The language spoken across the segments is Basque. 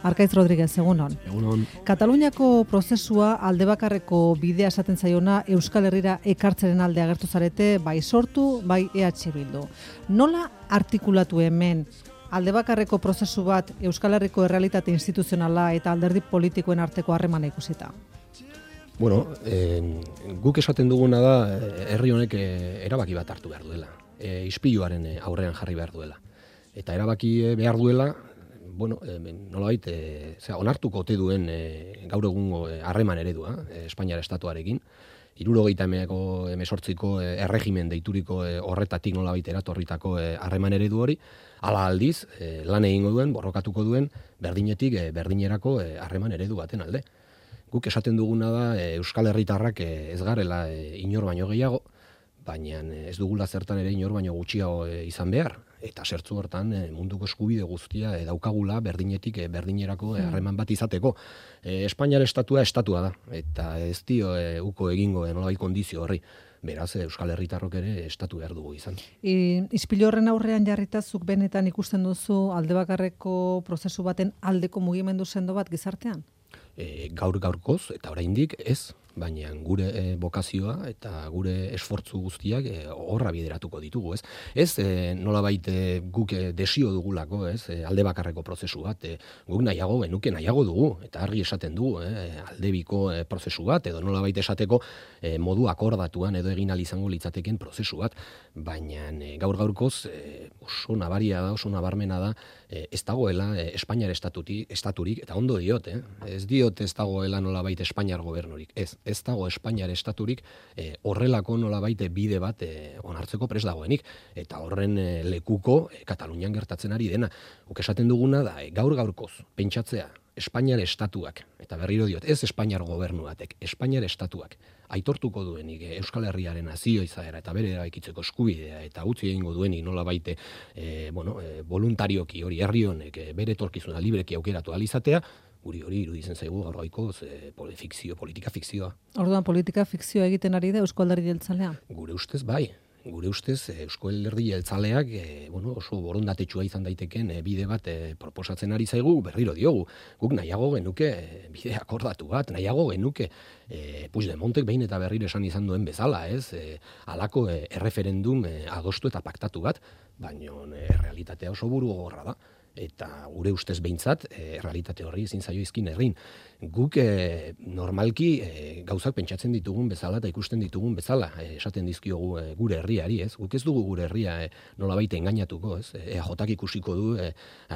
Arkaitz Rodriguez, egunon. Egunon. Kataluniako prozesua aldebakarreko bidea esaten zaiona Euskal Herrira ekartzeren alde agertu zarete, bai Sortu, bai EH Bildu. Nola artikulatu hemen aldebakarreko prozesu bat Euskal Herriko errealitate instituzionala eta alderdi politikoen arteko harremana ikusita? Bueno, guk esaten duguna da herri honek erabaki bat hartu behar duela. Ispiluaren aurrean jarri behar duela. Eta erabaki behar duela, nolabait, onartuko ote duen gaur egungo harreman eredua, Espainiar estatuarekin, 1978ko erregimen deituriko horretatik nolabait eratorritako harreman eredu hori, hala aldiz, lan egingo duen, borrokatuko duen, berdinetik berdinerako harreman eredu baten alde. Guk esaten duguna da Euskal Herritarrak ez garela inor baino gehiago, baina ez dugula zertan ere inor baino gutxiago izan behar. Eta zertzu hortan munduko eskubide guztia daukagula berdinetik berdinerako harreman bat izateko. Espainiar estatua da, eta ez dio uko egingo nolabait kondizio horri. Beraz, Euskal Herritarrok ere estatu behar dugu izan. Ispilu horren aurrean jarrita zuk benetan ikusten duzu aldebakarreko prozesu baten aldeko mugimendu sendo bat gizartean? Gaurkoz, eta oraindik ez, baina gure bokazioa eta gure esfortzu guztiak horra bideratuko ditugu, ez? Ez nolabait guk desio dugulako, ez? Alde bakarreko prozesu bat, guk nahiago dugu, eta argi esaten dugu, aldebiko prozesu bat, edo nolabait esateko modu akordatuan edo egin ahal izango litzateken prozesu bat, baina gaurkoz oso nabaria da, oso nabarmena da, ez dagoela Espainiar estaturik, eta ondo diot, ez diot ez dagoela nolabait Espainiar gobernurik, ez dago Espainiar estaturik horrelako nolabait bide bat onartzeko prest dagoenik, eta horren lekuko Katalunian gertatzen ari dena. Guk esaten duguna da, gaurkoz pentsatzea Espainiar estatuak, eta berriro diot, ez Espainiar gobernu batek, Espainiar estatuak aitortuko duenik Euskal Herriaren nazio izaera eta bere eraikitzeko eskubidea eta utzi egingo duenik nolabait voluntarioki hori herri honek bere etorkizuna libreki aukeratu ahal izatea, guri hori iruditzen zaigu gaurkoz politika fikzioa. Orduan politika fikzioa egiten ari da Eusko Alderdi Jeltzalea? Gure ustez bai. Gure ustez Eusko Alderdi Jeltzaleak oso borondatetsua izan daiteken bide bat proposatzen ari zaigu, berriro diogu. Guk nahiago genuke bide akordatu bat, nahiago genuke Puigdemontek behin eta berriro esan izan duen bezala, ez? Halako erreferendum adostu eta paktatu bat, baina realitatea oso burugogorra da. Eta gure ustez behintzat, realitate horri ezin zaio izkin herrin. Guk normalki gauzak pentsatzen ditugun bezala eta ikusten ditugun bezala, esaten dizkiogu gure herriari, ez? Guk ez dugu gure herria nolabait engainatuko, ez? EAJak ikusiko du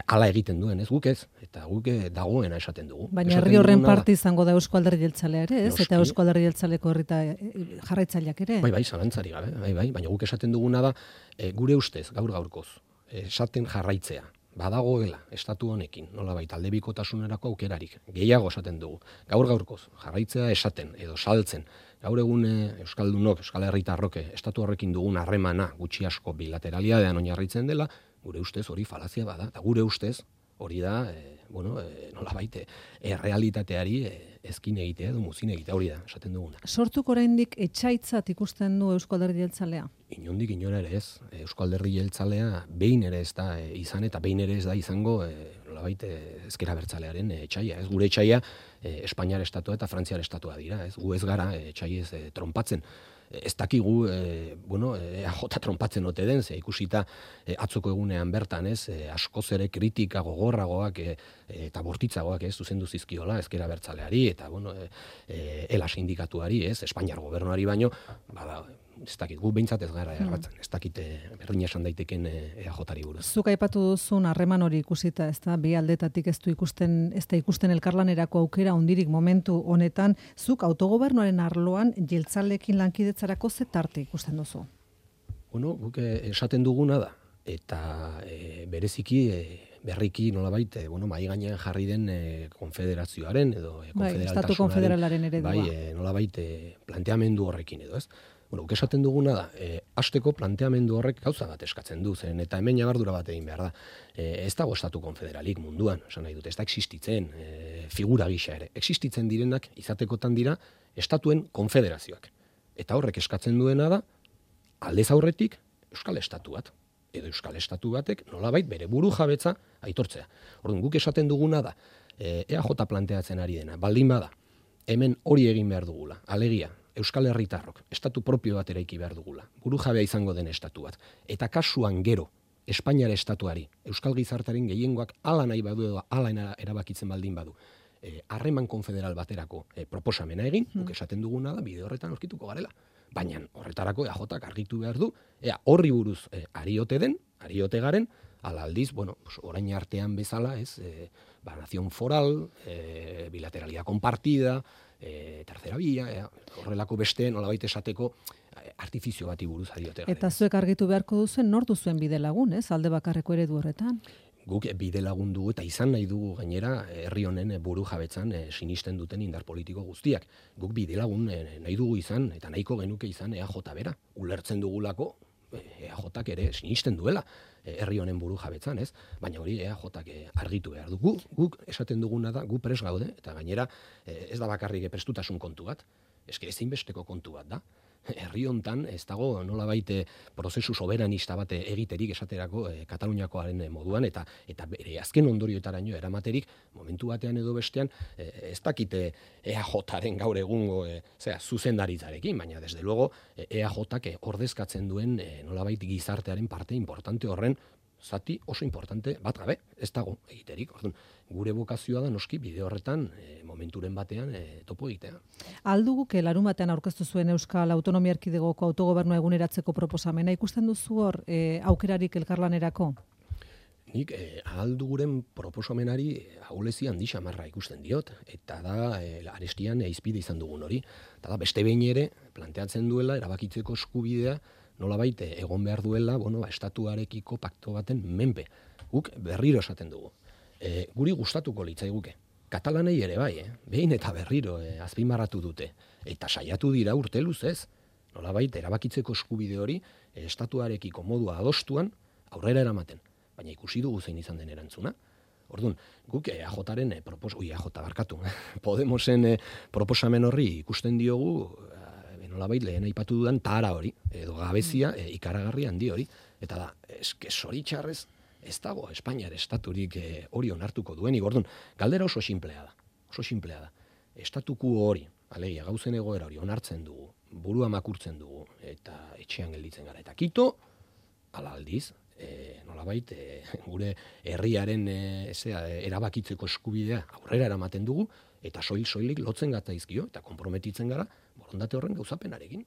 hala egiten duen, ez? Guk ez, eta guk dagoena esaten dugu. Baina herri horren parte izango da Eusko Alderdi Jeltzalea ere, ez? Eta Eusko Alderdi Jeltzaleko jarraitzaileak ere? Bai, zalantzari gabe, bai, baina guk esaten duguna da, gure ustez, gaurkoz, esaten jarraitzea. Badagoela estatu honekin, nolabait aldebikotasunerako aukerarik, gehiago esaten dugu. Gaurkoz, jarraitzea esaten edo saltzen. Gaur egun Euskaldunok, Euskal Herritarrok estatu horrekin dugun harremana gutxi asko bilateralidadean oinarritzen dela, gure ustez hori falazia bada, eta gure ustez hori da, nolabait errealitateari ezkin egitea edo muzin egitea, hori da, esaten duguna. Sortuk oraindik etsaitzat ikusten du Eusko Alderdi Jeltzalea? Inondik inora ere ez. Eusko Alderdi Jeltzalea behin ere ez da izan eta behin ere ez da izango nolabait ezker abertzalearen etsaia. Ez gure etsaia Espainiar estatua eta Frantziar estatua dira. Ez gu ez gara etsaiez trompatzen. Ez dakigu, EAJ trompatzen ote den, ze ikusita atzoko egunean bertan, ez, askoz ere kritika gogorragoak eta bortitzagoak, ez, zuzendu zizkiola ezker abertzaleari eta ELA sindikatuari, ez, Espainiar gobernuari baino, ez dakit, gu behintzat ez gara erratzen, ez dakit berdina esan daiteken EAJari buruz. Zuk aipatu duzun harreman hori ikusita, ez da, bi aldetatik ez da ikusten elkarlanerako aukera hondirik momentu honetan, zuk autogobernuaren arloan jeltzaleekin lankidetzarako ze tarte ikusten duzu? Guk esaten duguna da, eta bereziki berriki nolabait, mai gainean jarri den konfederazioaren edo Estatu konfederalaren eredua. Nolabait planteamendu horrekin edo, ez? Guk esaten duguna da, hasteko planteamendu horrek gauza bat eskatzen du zen, eta hemen jabardura bat egin behar da. Ez dago estatu konfederalik munduan, esan nahi dut, ez da existitzen, figura gisa ere. Existitzen direnak izatekotan dira estatuen konfederazioak. Eta horrek eskatzen duena da, aldez aurretik Euskal Estatu bat. Edo Euskal Estatu batek nolabait bere buru jabetza aitortzea. Orduan, guk esaten duguna da, EAJ planteatzen ari dena, baldin bada, hemen hori egin behar dugula, alegia, Euskal Herritarrok, estatu propio bat eraiki behar dugula, burujabea izango den estatu bat, eta kasuan gero, Espainiar estatuari, Euskal Gizartaren gehiengoak hala nahi badu edo hala erabakitzen baldin badu, harreman konfederal baterako proposamena egin, guk esaten duguna da, bide horretan aurkituko garela. Baina horretarako EAJak argitu behar du, horri buruz ariote garen, ala aldiz, orain artean bezala, nazion foral, bilateralidad compartida, tercera via, horrelako beste nolabait esateko artifizio bati buruz ariote garen. Eta zuek argitu beharko duzen, nortu zuen bide lagun, alde bakarreko eredu horretan? Guk bide lagun dugu eta izan nahi dugu gainera herri honen buru jabetzan sinisten duten indar politiko guztiak. Guk bide lagun nahi dugu izan eta nahiko genuke izan EAJ bera. Ulertzen dugulako EAJak ere sinisten duela herri honen buru jabetzan, ez? Baina hori EAJak argitu behar dugu. Guk esaten duguna da, gu pres gaude eta gainera ez da bakarrik prestutasun kontu bat. Eske ezinbesteko kontu bat da. Herri hontan ez dago nolabait prozesu soberanista bat egiterik esaterako Kataluniakoaren moduan eta bere azken ondorioetaraino eramaterik momentu batean edo bestean ez dakite EAJaren gaur egungo zuzendaritzarekin, baina desde luego EAJak ordezkatzen duen nolabait gizartearen parte importante horren zati oso importante bat gabe, ez dago egiterik. Orduan, gure bokazioa da noski bide horretan momenturen batean topo egitea. Alduguke larun batean aurkeztu zuen Euskal Autonomia Erkidegoko autogobernua eguneratzeko proposamena ikusten duzu hor aukerarik elkarlanerako? Nik alduguren proposamenari ahulezi handi xamarra ikusten diot, eta da arestian izpide izan dugun hori. Eta da beste behin ere planteatzen duela erabakitzeko eskubidea nolabait egon behar duela estatuarekiko pakto baten menpe. Guk berriro esaten dugu. Guri gustatuko litzaiguke. Katalanei ere bai, behin eta berriro azpimarratu dute. Eta saiatu dira urte luzez. Nolabait erabakitzeko eskubide hori estatuarekiko modua adostuan aurrera eramaten. Baina ikusi dugu zein izan den erantzuna. Orduan, guk EAJaren Podemosen proposamen horri ikusten diogu nolabait lehen aipatu dudan tahara hori, edo gabezia ikaragarri handi hori. Eta da, eske zoritxarrez ez dago Espainiar estaturik hori onartuko duenik. Orduan, galdera oso sinplea da. Estatuku hori, alegia gauzen egoera hori onartzen dugu, burua makurtzen dugu, eta etxean gelditzen gara. Eta kito, ala aldiz, nolabait gure herriaren erabakitzeko eskubidea aurrera eramaten dugu, eta soilik lotzen gatzaizkio, eta konprometitzen gara, borondate horren gauzapenarekin.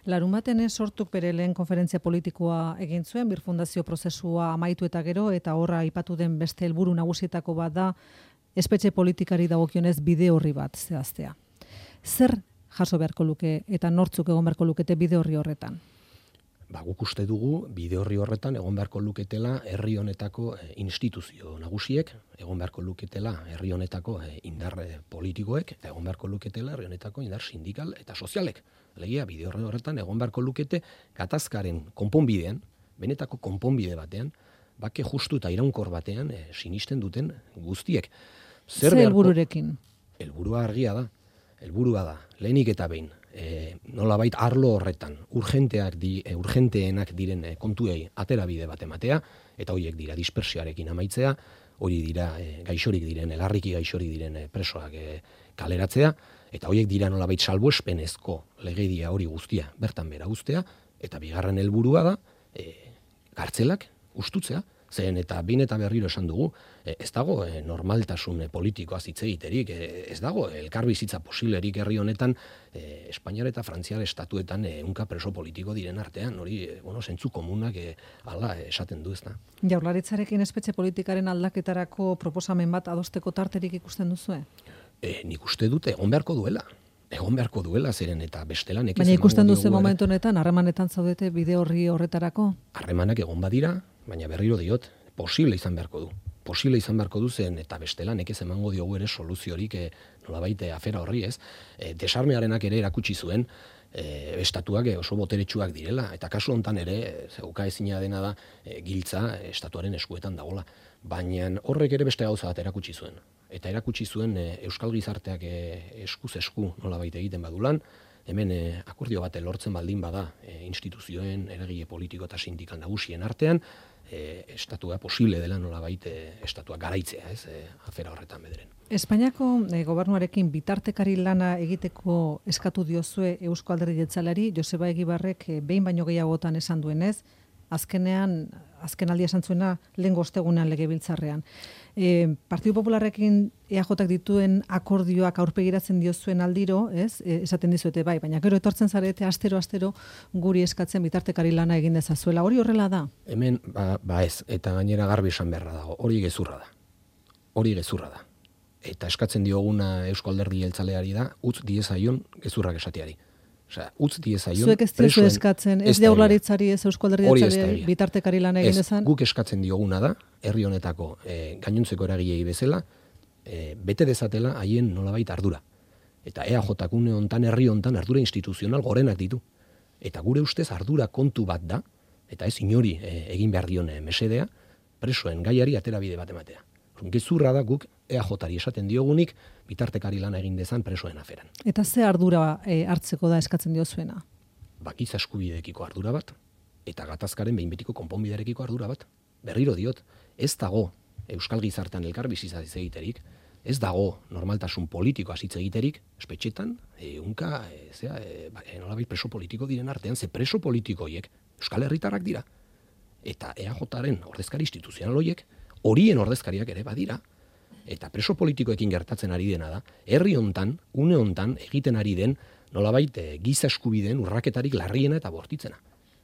Larun baten sortuk bere lehen konferentzia politikoa egin zuen, birfundazio prozesua amaitu eta gero, eta horra aipatu den beste helburu nagusietako bat da, espetxe politikari dagokionez bide horri bat zehaztea. Zer jaso beharko luke eta nortzuk egon beharko lukete bide horri horretan? Guk uste dugu bide horri horretan egon beharko luketela herri honetako instituzio nagusiek, egon beharko luketela herri honetako indar politikoek, eta egon beharko luketela herri honetako indar sindikal eta sozialek. Alegia, bide horretan egon beharko lukete gatazkaren konponbidean, benetako konponbide batean, bake justu eta iraunkor batean sinisten duten guztiek. Zer helbururekin? Helburua argia da. Helburua da, lehenik eta behin, nolabait arlo horretan urgenteenak diren kontuei atera bide bat ematea, eta horiek dira dispersioarekin amaitzea, hori dira gaixorik diren, larriki gaixorik diren presoak kaleratzea, eta horiek dira nolabait salbuespenezko legedia hori guztia bertan bera uztea, eta bigarren helburua da kartzelak ustutzea. Zen eta bin eta berriro esan dugu, ez dago normaltasun politikoa hitz egiterik, ez dago elkarbizitza posiblerik herri honetan Espainiar eta Frantziar estatuetan ehunka preso politiko diren artean, hori zentzu komunak hala esaten du, ezta. Jaurlaritzarekin espetxe politikaren aldaketarako proposamen bat adosteko tarterik ikusten duzue? Nik uste dut egon beharko duela zeren eta bestela nekez. Baina ikusten duzu momentu honetan harremanetan zaudete bide horri horretarako? Harremanak egon badira, baina berriro diot, posible izan beharko du zen eta bestela nekez emango diogu ere soluziorik nolabait afera horri, ez? Desarmearenak ere erakutsi zuen estatuak oso boteretsuak direla, eta kasu hontan ere ukaezina dena da giltza estatuaren eskuetan dagola. Baina horrek ere beste gauza bat erakutsi zuen. Eta erakutsi zuen Euskal Gizarteak eskuz esku nolabait egiten badulan, hemen akordio bat lortzen baldin bada instituzioen, eragile politiko eta sindikal nagusien artean, estatua posible dela nolabait estatua garaitzea, afera horretan bederen. Espainiako gobernuarekin bitartekari lana egiteko eskatu diozue Eusko Alderdi Jeltzaleari, Joseba Egibarrek behin baino gehiagotan esan duenez, azkenaldi esan zuena lehengo ostegunean legebiltzarrean. Partidu Popularrekin EAJak dituen akordioak aurpegiratzen diozuen aldiro, esaten dizuete bai, baina gero etortzen zarete astero guri eskatzen bitartekari lana egin dezazuela. Hori horrela da? Hemen, ez, eta gainera garbi esan beharra dago, hori gezurra da. Eta eskatzen dioguna Eusko Alderdi Jeltzaleari da, utz diezaion gezurrak esateari. Osea, utz diezaion... Zuek ez diozu eskatzen, ez Jaurlaritzari, ez Eusko Alderdi Jeltzaleari bitartekari lana egin dezan? Guk eskatzen dioguna da, herri honetako gainontzeko eragilei bezala, bete dezatela haien nolabait ardura. Eta EAJak une hontan, herri hontan ardura instituzional gorenak ditu. Eta gure ustez ardura kontu bat da, eta ez inori egin behar dion mesedea, presoen gaiari aterabide bat ematea. Gezurra da guk EAJari esaten diogunik bitartekari lana egin dezan presoen aferan. Eta ze ardura hartzeko da eskatzen diozuena? Giza eskubideekiko ardura bat, eta gatazkaren behin betiko konponbidearekiko ardura bat. Berriro diot, ez dago euskal gizartean elkar bizitza egiterik, ez dago normaltasun politiko hitz egiterik, espetxetan, nolabait preso politiko diren artean, ze preso politiko horiek euskal herritarrak dira. Eta EAJaren ordezkari instituzional horiek, horien ordezkariak ere badira, eta preso politikoekin gertatzen ari dena da, herri hontan, une hontan egiten ari den nolabait giza eskubideen urraketarik larriena eta bortitzena.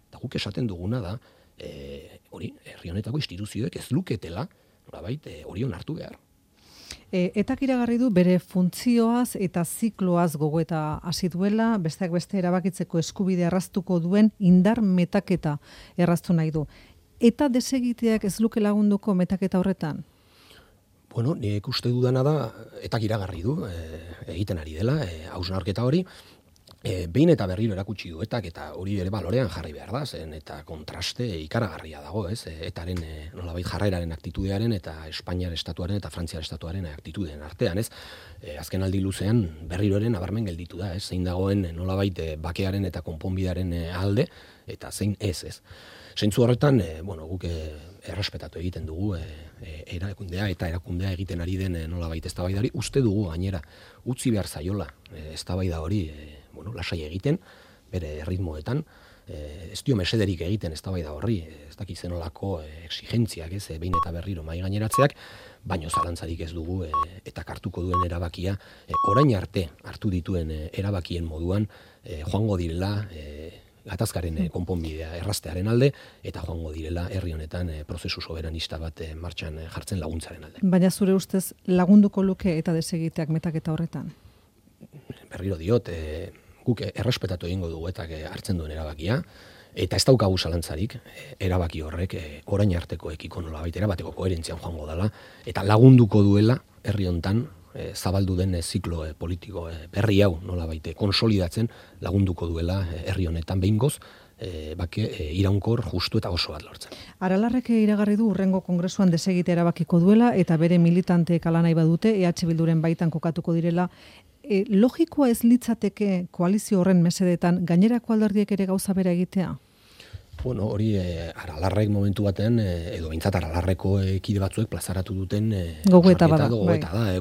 Eta guk esaten duguna da, herri honetako instituzioek ez luketela nolabait hori onartu behar. Etak iragarri du bere funtzioaz eta zikloaz gogoeta hasi duela, besteak beste erabakitzeko eskubide erraztuko duen indar metaketa erraztu nahi du. Eta desegiteak ez luke lagunduko metaketa horretan? Bueno, nik uste dudana da, etak iragarri du, egiten ari dela, hausnarketa hori, behin eta berriro erakutsi du eta hori ere balorean jarri behar da, zen eta kontraste ikaragarria dago, etaren nolabait jarreraren aktitudearen eta Espainiar estatuaren eta Frantziar estatuaren aktitudeen artean, azken aldi luzean berriro ere nabarmen gelditu da, zein dagoen nolabait bakearen eta konponbidearen alde, eta zein ez. Zentzu horretan, guk errespetatu egiten dugu erakundea eta erakundea egiten ari den nolabait eztabaidari, uste dugu gainera utzi behar zaiola eztabaida hori lasai egiten, bere ritmoetan, ez dio mesederik egiten eztabaida horri, ez dakiz zenolako exigentziak, behin eta berriro mahai gaineratzeak, baino zalantzarik ez dugu eta hartuko duen erabakia, orain arte hartu dituen erabakien moduan joango direla gatazkaren konponbidea erraztearen alde, eta joango direla herri honetan prozesu soberanista bat martxan jartzen laguntzaren alde. Baina zure ustez lagunduko luke eta desegiteak metaketa horretan? Berriro diot, guk errespetatu egingo dugu eta hartzen duen erabakia, eta ez daukagu zalantzarik, erabaki horrek orain artekoekiko nolabait erabateko koherentzian joango dela, eta lagunduko duela herri honetan zabaldu den ziklo politiko berri hau nolabait konsolidatzen lagunduko duela herri honetan behingoz, bake iraunkor justu eta oso bat lortzen. Aralarrek iragarri du hurrengo kongresuan desegite erabakiko duela eta bere militanteek hala nahi badute EH Bilduren baitan kokatuko direla. Logikoa ez litzateke koalizio horren mesedetan gainerako alderdiek ere gauza bera egitea? Bueno, hori Aralarrek momentu batean, edo behintzat Aralarreko kide batzuek plazaratu duten gogoeta da,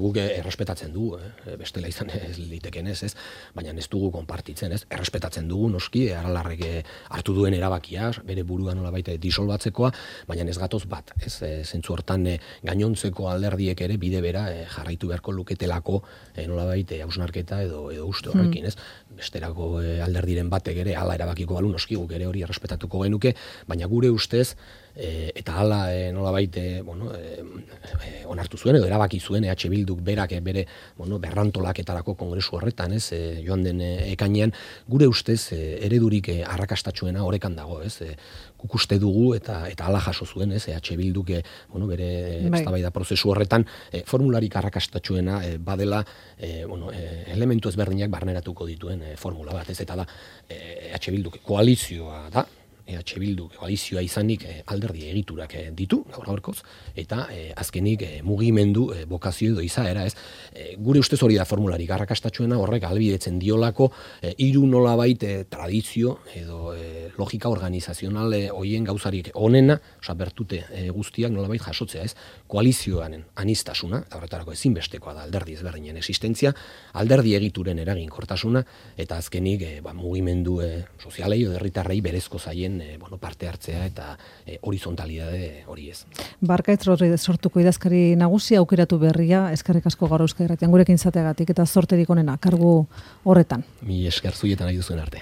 guk errespetatzen dugu, bestela izan ez liteken ez, baina ez dugu konpartitzen, errespetatzen dugu noski, Aralarrek hartu duen erabakia, bere burua nolabait disolbatzekoa, baina ez gatoz bat, zentzu hortan gainontzeko alderdiek ere bide bera jarraitu beharko luketelako nolabait hausnarketa edo uste horrekin, besterako alderdiren batek ere hala erabakiko balu noski guk ere hori errespetatuko genuke, baina gure ustez eta hala nolabait onartu zuen edo erabaki zuen EH Bilduk berak bere berrantolaketarako kongresu horretan, joan den ekainean, gure ustez eredurik arrakastatsuena orekan dago, guk uste dugu eta hala jaso zuen, EH Bilduk bere eztabaida prozesu horretan formularik arrakastatsuena badela elementu ezberdinak barneratuko dituen formula bat, eta da EH Bilduk koalizioa da, EH Bildu koalizioa izanik alderdi egiturak ditu, gaur-gaurkoz, eta azkenik mugimendu bokazio edo izaera, ez? Gure ustez hori da formularik arrakastatsuena, horrek ahalbidetzen diolako hiru nolabait tradizio edo logika organizazional hoien gauzarik onena, osea bertute guztiak nolabait jasotzea, ez? Koalizioaren anistasuna, eta horretarako ezinbestekoa da alderdi ezberdinen existentzia, alderdi egituren eraginkortasuna, eta azkenik mugimendu sozialei edo herritarrei berezko zaien parte hartzea eta horizontalidade hori ez. Barkaitz Rodriguez sortuko idazkari nagusia aukeratu berria, eskerrik asko gaur Euskal Irratian gurekin izateagatik eta zorterik onena kargu horretan. Mi esker zuietan nahi duzuen arte.